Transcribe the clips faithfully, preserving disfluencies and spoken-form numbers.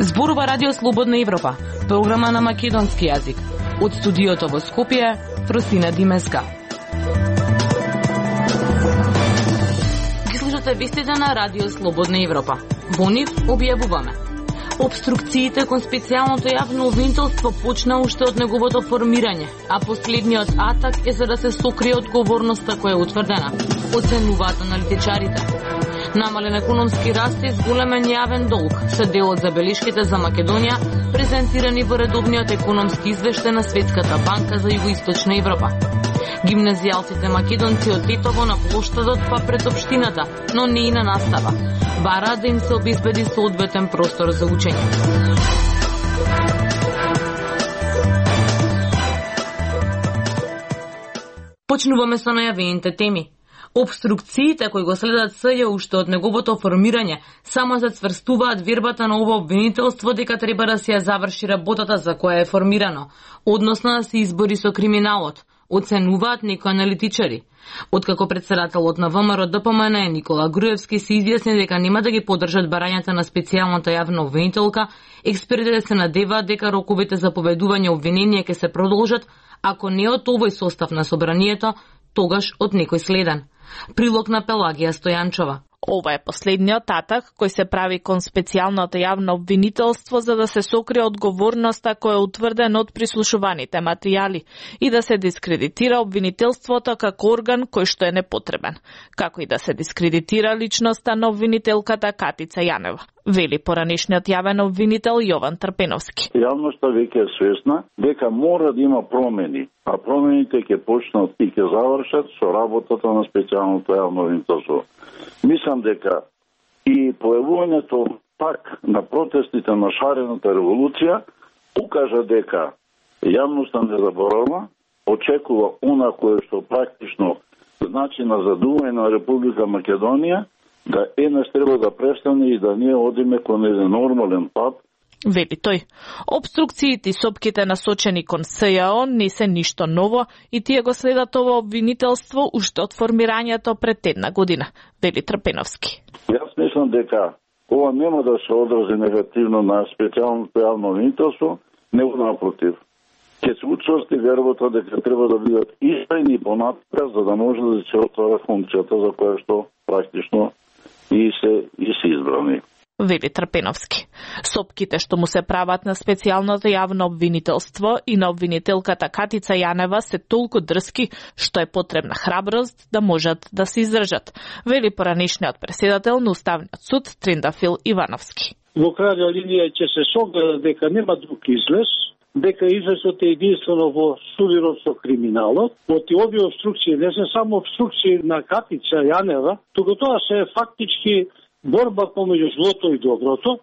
Зборува Радио Слободна Европа, програма на македонски јазик. Од студиото во Скопје, Фросина Димеска. Ги слушате вестите на Радио Слободна Европа. Во нив објавуваме: обструкциите кон специјалното јавно обвинителство почна уште од неговото формирање, а последниот атак е за да се сокрие одговорноста која е утврдена, оценуваат аналитичарите. Намален економски раст и зголемен јавен долг се дел од забелешките за Македонија, презентирани во редовниот економски извештај на Светската банка за Југоисточна Европа. Гимназијалците македонци од Тетово на плоштадот па пред општината, но не и на настава. Бараат да им се обезбеди соодветен простор за учење. Почнуваме со најавените теми. Обструкциите кои го следат СЈ уште од неговото формирање само зацврстуваат вербата на ова обвинителство дека треба да се ја заврши работата за која е формирано, односно да се избори со криминалот, оценуваат некои аналитичари. Откако председателот на ВМРО Д П М Н Никола Груевски се изјасни дека нема да ги поддржат барањата на специјалната јавна обвинителка, експертите се надеваат дека роковите за поведување обвиненија ќе се продолжат, ако не од овој состав на собранието, тогаш од некој следен. Прилог на Пелагија Стојанчова. Ова е последниот атак кој се прави кон специјалното јавно обвинителство за да се сокрие одговорноста која е утврдена од прислушуваните материјали и да се дискредитира обвинителството како орган кој што е непотребен, како и да се дискредитира личноста на обвинителката Катица Јанева, вели поранешниот јавен обвинител Јован Трпеновски. Јавноста веќе е свесна дека мора да има промени, а промените ќе почнат и ќе завршат со работата на специјалното јавно обвинителство. Мислам дека и појавувањето пак на протестите на шарената револуција укажа дека јавноста не заборава, очекува она кое што практично значи назадување на Република Македонија, да еднаш треба да престане и да ние одиме кон еден нормален пат. Вели тој, обструкциите и сопките насочени кон СЈО не се ништо ново и тие го следат ова обвинителство уште од формирањето пред една година, вели Трпеновски. Јас мислам дека ова нема да се одрази негативно на специјалното јавно обвинителство, него напротив. Ќе се учврсти вербата дека треба да бидат истрајни понатака за да може да се отвара функцијата за која што практично и се и се избрани. Вели Трпеновски. Сопките што му се прават на специјалното јавно обвинителство и на обвинителката Катица Јанева се толку дрски што е потребна храброст да можат да се издржат, вели поранешниот председател на Уставниот суд Трендафил Ивановски. Во крајна линија ќе се согледа дека нема друг излез, дека излезот е единствено во судирот со криминалот. Од овие обструкции не се само обструкции на Катица Јанева, туку тоа се фактички борба помеѓу злото и доброто,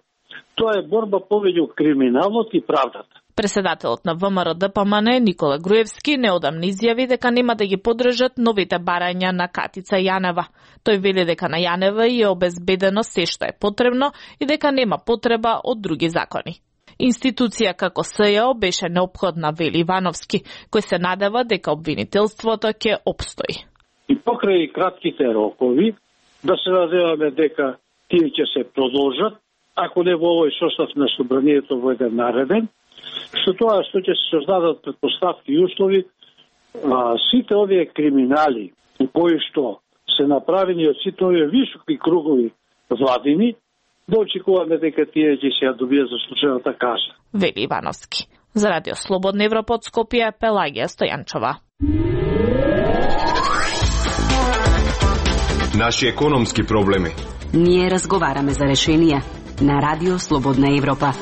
тоа е борба помеѓу криминалот и правдата. Председателот на ВМРО Д П М Н Никола Груевски неодамна изјави дека нема да ги поддржат новите барања на Катица Јанева. Тој вели дека на Јанева е обезбедено се што е потребно и дека нема потреба од други закони. Институција како СЈО беше неопходна, вели Ивановски, кој се надева дека обвинителството ќе обстои. И покрај кратките рокови, да се надеваме дека тие ќе се продолжат, ако не во овој состав на собранието во еден нареден, со тоа што ќе се создадат предпоставки и услови, а, сите овие криминали кои што се направени од сите овие високи кругови владини, да очекуваме дека тие ќе се ја добијат заслужената казна. Вели Ивановски. За Радио Слободна Европа од Скопје, Пелагија Стојанчова. Наши економски проблеми. Ние разговараме за решенија на Радио Слободна Европа.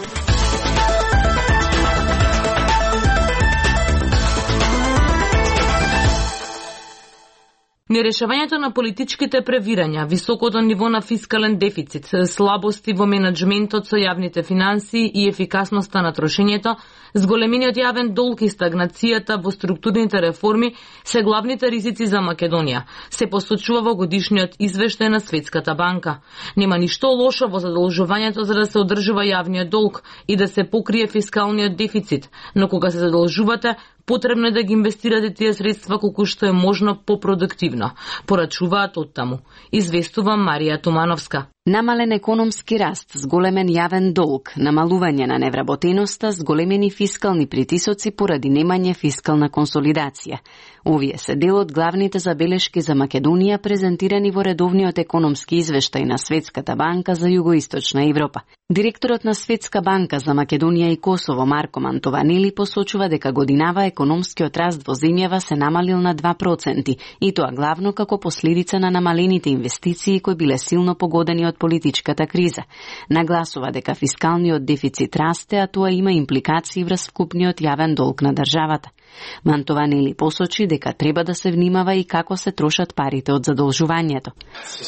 Нерешавањето на политичките превирања, високото ниво на фискален дефицит, слабости во менеджментот со јавните финансии и ефикасноста на трошењето, зголемениот јавен долг и стагнацијата во структурните реформи се главните ризици за Македонија, се посочува во годишниот извештај на Светската банка. Нема ништо лошо во задолжувањето за да се одржува јавниот долг и да се покрие фискалниот дефицит, но кога се задолжувате, потребно е да ги инвестирате тие средства колку што е можно попродуктивно, порачуваат оттаму, известува Марија Тумановска. Намален економски раст, зголемен јавен долг, намалување на невработеноста, зголемени фискални притисоци поради немање фискална консолидација. Овие се дел од главните забелешки за Македонија презентирани во редовниот економски извештај на Светската банка за Југоисточна Европа. Директорот на Светска банка за Македонија и Косово Марко Мантованели посочува дека годинава економскиот раст во земјава се намалил на два проценти, и тоа главно како последица на намалените инвестиции кои биле силно погодени од политичката криза. Нагласува дека фискалниот дефицит расте, а тоа има импликации врз вкупниот јавен долг на државата. Мантованели посочи дека треба да се внимава и како се трошат парите од задолжувањето.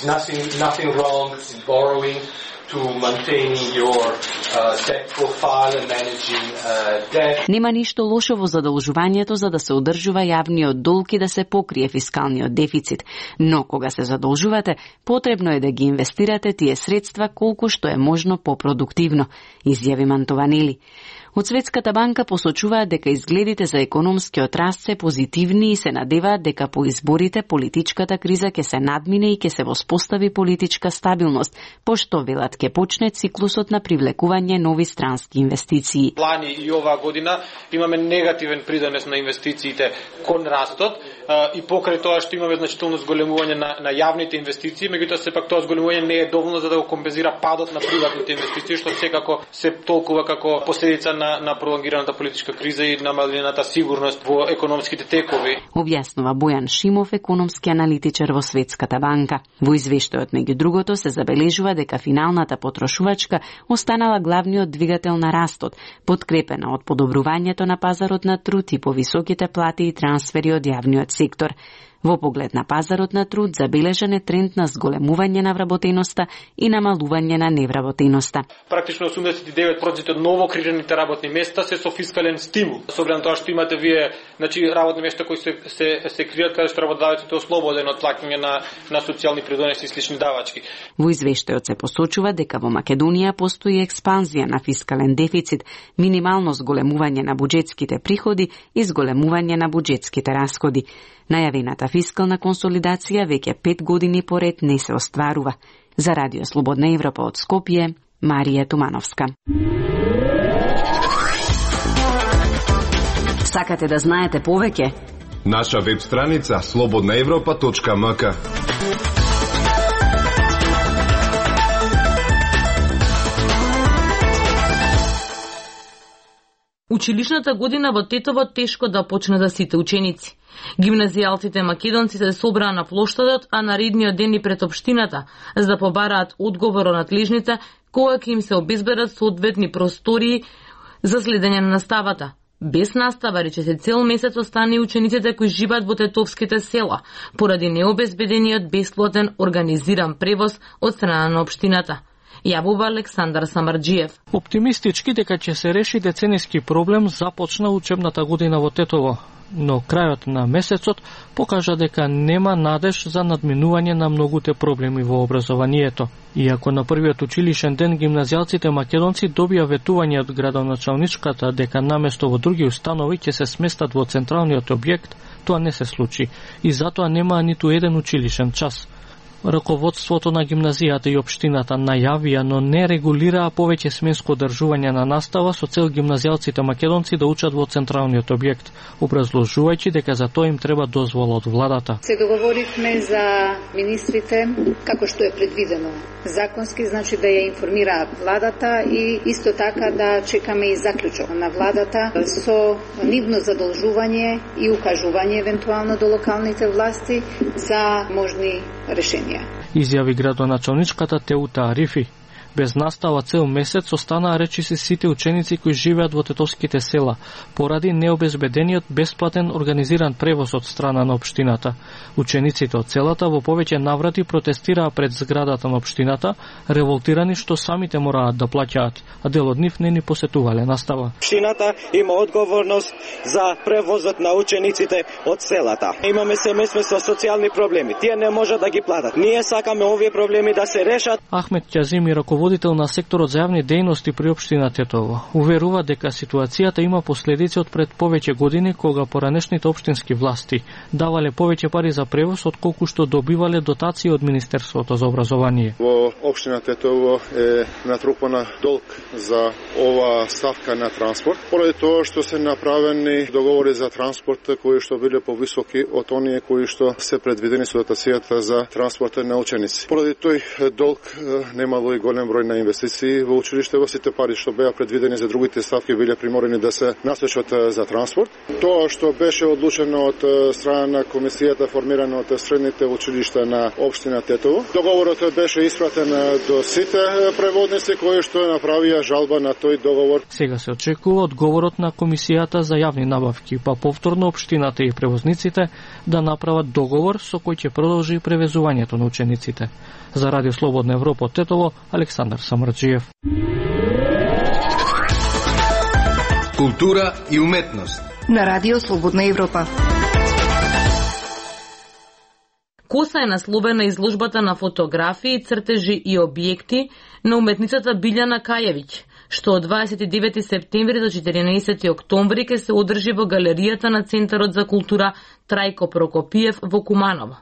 Nothing, nothing wrong in borrowing to maintaining your uh, debt profile and managing uh, debt. Нема ништо лошо во задолжувањето за да се одржува јавниот долг и да се покрие фискалниот дефицит, но кога се задолжувате, потребно е да ги инвестирате тие средства колку што е можно попродуктивно, изјави Мантованели. Од Светската банка посочуваат дека изгледите за економскиот раст се позитивни и се надеваат дека по изборите политичката криза ќе се надмине и ќе се воспостави политичка стабилност, пошто велат ќе почне циклусот на привлекување нови странски инвестиции. Лани и оваа година имаме негативен придонес на инвестициите кон растот и покрај тоа што имаме значително зголемување на, на јавните инвестиции, меѓутоа сепак тоа зголемување не е доволно за да го компензира падот на приватните инвестиции, што секако се толкува како последица на на пролонгираната политичка криза и намалената сигурност во економските текови. Објаснува Бојан Шимов, економски аналитичар во Светската банка. Во извештајот меѓу другото се забележува дека финалната потрошувачка останала главниот двигател на растот, подкрепена од подобрувањето на пазарот на труд и повисоките плати и трансфери од јавниот сектор. Во поглед на пазарот на труд забележан е тренд на зголемување на вработеноста и намалување на невработеноста. Практично осумдесет и девет проценти од ново креираните работни места се со фискален стимул. Со оглед на тоа што имате вие, значи работни места кои се се се креираат каде што работодавецот е ослободен од плаќање на на социјални придонеси и слични давачки. Во извештајот се посочува дека во Македонија постои експанзија на фискален дефицит, минимално зголемување на буџетските приходи и зголемување на буџетските расходи. Најавената фискална консолидација веќе пет години поред не се остварува. За Радио Слободна Европа од Скопје, Марија Тумановска. Сакате да знаете повеќе? Наша веб страница слободна европа точка ем ка. Училишната година во Тетово тешко да почне за сите ученици. Гимназијалците македонци се собраа на плоштадот, а наредниот ден и пред општината, за да побараат одговор од надлежните кога ќе им се обезбедат соодветни простории за следење на наставата. Без настава, рече се, цел месец остани учениците кои живеат во тетовските села, поради необезбедениот бесплатен организиран превоз од страна на општината. Јавува Александар Самарџиев. Оптимистички дека ќе се реши децениски проблем започна учебната година во Тетово, но крајот на месецот покажа дека нема надеж за надминување на многуте проблеми во образованието. Иако на првиот училишен ден гимназијалците македонци добија ветување од градоначалничката дека наместо во други установи ќе се сместат во централниот објект, тоа не се случи и затоа нема ниту еден училишен час. Раководството на гимназијата и општината најавија, но не регулираа повеќе сменско одржување на настава со цел гимназијалците македонци да учат во централниот објект, образложувајќи дека за тоа им треба дозвола од владата. Се договоривме за министрите како што е предвидено законски, значи да ја информираат владата и исто така да чекаме и заклучок на владата со нивно задолжување и укажување евентуално до локалните власти за можни решенија. Изјави градоначалничката Теута Арифи. Без настава цел месец останаа речиси сите ученици кои живеат во тетовските села, поради необезбедениот бесплатен организиран превоз од страна на општината. Учениците од селата во повеќе наврати протестираа пред зградата на општината, револтирани што самите мораат да плаќаат, а дел од нив не ни посетувале настава. Општината има одговорност за превозот на учениците од селата. Имаме семејства со социјални проблеми. Тие не можат да ги платат. Ние сакаме овие проблеми да се решат. Ахмет Ќазими, раководител на секторот за јавни дејности при општина Тетово, уверува дека ситуацијата има последици од пред повеќе години, кога поранешните општински власти давале повеќе пари за превоз од колку што добивале дотации од Министерството за образование. Во општина Тетово е натрупана долг за ова ставка на транспорт, поради тоа што се направени договори за транспорт кои што биле повисоки од оние кои што се предвидени со дотацијата за транспорт на ученици. Поради тој долг немало и голем број на инвестиции во училиште, во сите пари што беа предвидени за другите ставки биле приморени да се насочат за транспорт. Тоа што беше одлучено од страна на комисијата формирана од средните училишта на општина Тетово, договорот беше испратен до сите преводници кои што направија жалба на тој договор. Сега се очекува одговорот на комисијата за јавни набавки, па повторно општината и превозниците да направат договор со кој ќе продолжи превезувањето на учениците. За Радио Слободна Европа од Тетово, Александар Самарджиев. Култура и уметност на Радио Слободна Европа. Коса е насловена изложбата на фотографии, цртежи и објекти на уметницата Билјана Кајевиќ, што од дваесет и девети септември до четиринаесети октомври ќе се одржи во галеријата на Центарот за култура Трајко Прокопиев во Куманово.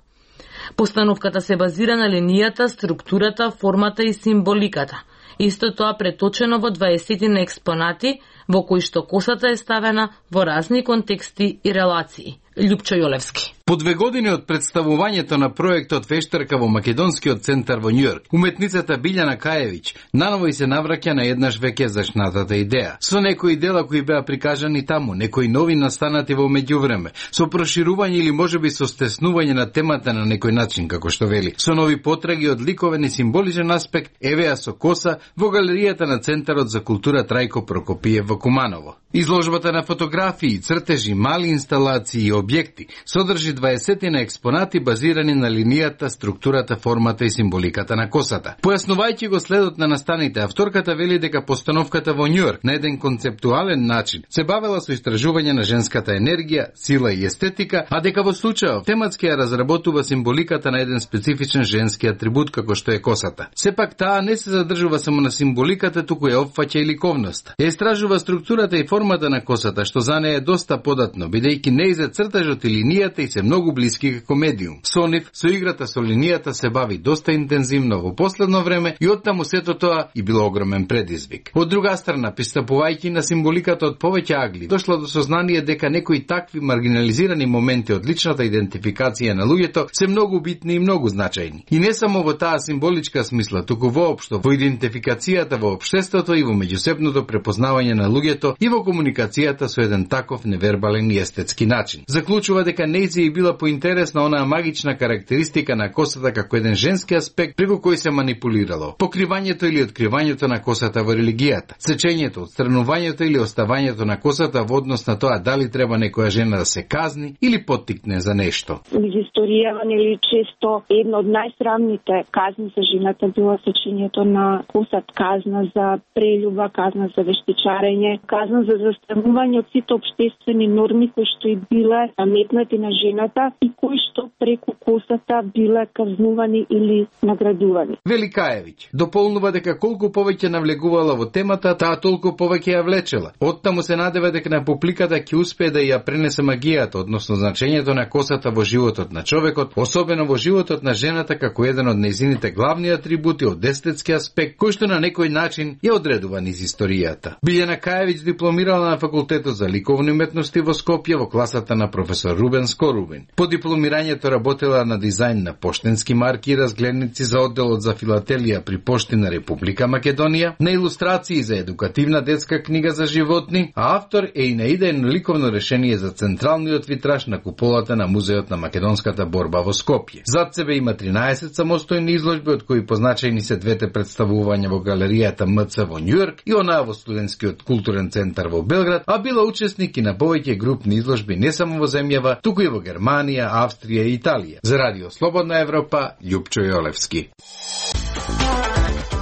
Постановката се базира на линијата, структурата, формата и символиката. Исто тоа преточено во дваесетина експонати, во кои што косата е ставена во разни контексти и релации. Љупчо Јолевски. По две години од представувањето на проектот Вештарка во Македонскиот центар во Њујорк, уметницата Билјана Кајевиќ наново и се навраќа на еднаш веќе зашнатата идеја. Со некои дела кои беа прикажани таму, некои нови настанати во меѓувреме, со проширување или можеби со стеснување на темата на некој начин, како што вели, со нови потраги од ликовен и символичен аспект, евеа со коса во галеријата на Центарот за култура Трајко Прокопиев во Куманово. Изложбата на фотографии, цртежи, мали инсталации и објекти содржи дваесетина експонати базирани на линијата, структурата, формата и символиката на косата. Појаснувајќи го следот на настаните, авторката вели дека постановката во Њујорк на еден концептуален начин се бавела со истражување на женската енергија, сила и естетика, а дека во случајов тематски ја разработува символиката на еден специфичен женски атрибут како што е косата. Сепак таа не се задржува само на символиката, туку ја опфаќа и ликовноста. Ја истражува структурата и формата на косата, што за неја е доста податно, бидејќи нејзе цртажот и линијата и се многу блиски како медиум. Со нив, со играта со линијата се бави доста интензивно во последно време и оттаму сето тоа и било огромен предизвик. Од друга страна, пристапувајќи на символиката од повеќе агли, дошла до сознание дека некои такви маргинализирани моменти од личната идентификација на луѓето се многу битни и многу значајни. И не само во таа символичка смисла, туку воопшто во идентификацијата во општеството и во меѓусебното препознавање на луѓето и во комуникацијата со еден таков невербален и естетски начин. Заклучува дека нејзи и била поинтересна онаа магична карактеристика на косата како еден женски аспект преку кој се манипулирало. Покривањето или откривањето на косата во религијата, сечењето, отстранувањето или оставањето на косата во однос на тоа дали треба некоја жена да се казни или поттикне за нешто. Из историјава нели често една од најсрамните казни за жената била сечењето на косат, казна за прелюба, казна за вештичарење, казна за застранување од сите општествени норми кои што и биле наметнати на жената и кои што преку косата биле казнувани или наградувани. Вели Кајевиќ дополнува дека колку повеќе навлегувала во темата, таа толку повеќе ја влечела. Оттаму се надева дека на публиката ќе успее да ја пренесе магијата, односно значењето на косата во животот на човекот, особено во животот на жената како еден од нејзините главни атрибути од естетски аспект, кој што на некој начин ја одредува низ историјата. Билјана Кајевиќ дипломира дипломирала на факултетот за ликовни уметности во Скопје во класата на професор Рубен Скорубин. По дипломирањето работела на дизајн на поштенски марки и разгледници за одделот за филателија при Пошти на Република Македонија, на илустрации за едукативна детска книга за животни, а автор е и на идејно ликовно решение за централниот витраж на куполата на Музеот на македонската борба во Скопје. Зад себе има тринаесет самостојни изложби, од кои позначајни се двете представувања во галеријата М Ц во Њујорк и онаа во студентскиот културен центар во Белград, а била учесник и на повеќе групни изложби не само во земјава, туку и во Германија, Австрија и Италија. За Радио Слободна Европа, Љупчо Јолевски.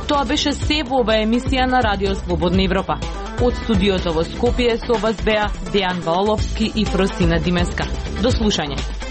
Тоа беше се во ова емисија на Радио Слободна Европа. Од студиото во Скопје со вас беа Дејан Ваоловски и Фросина Димеска. До слушање.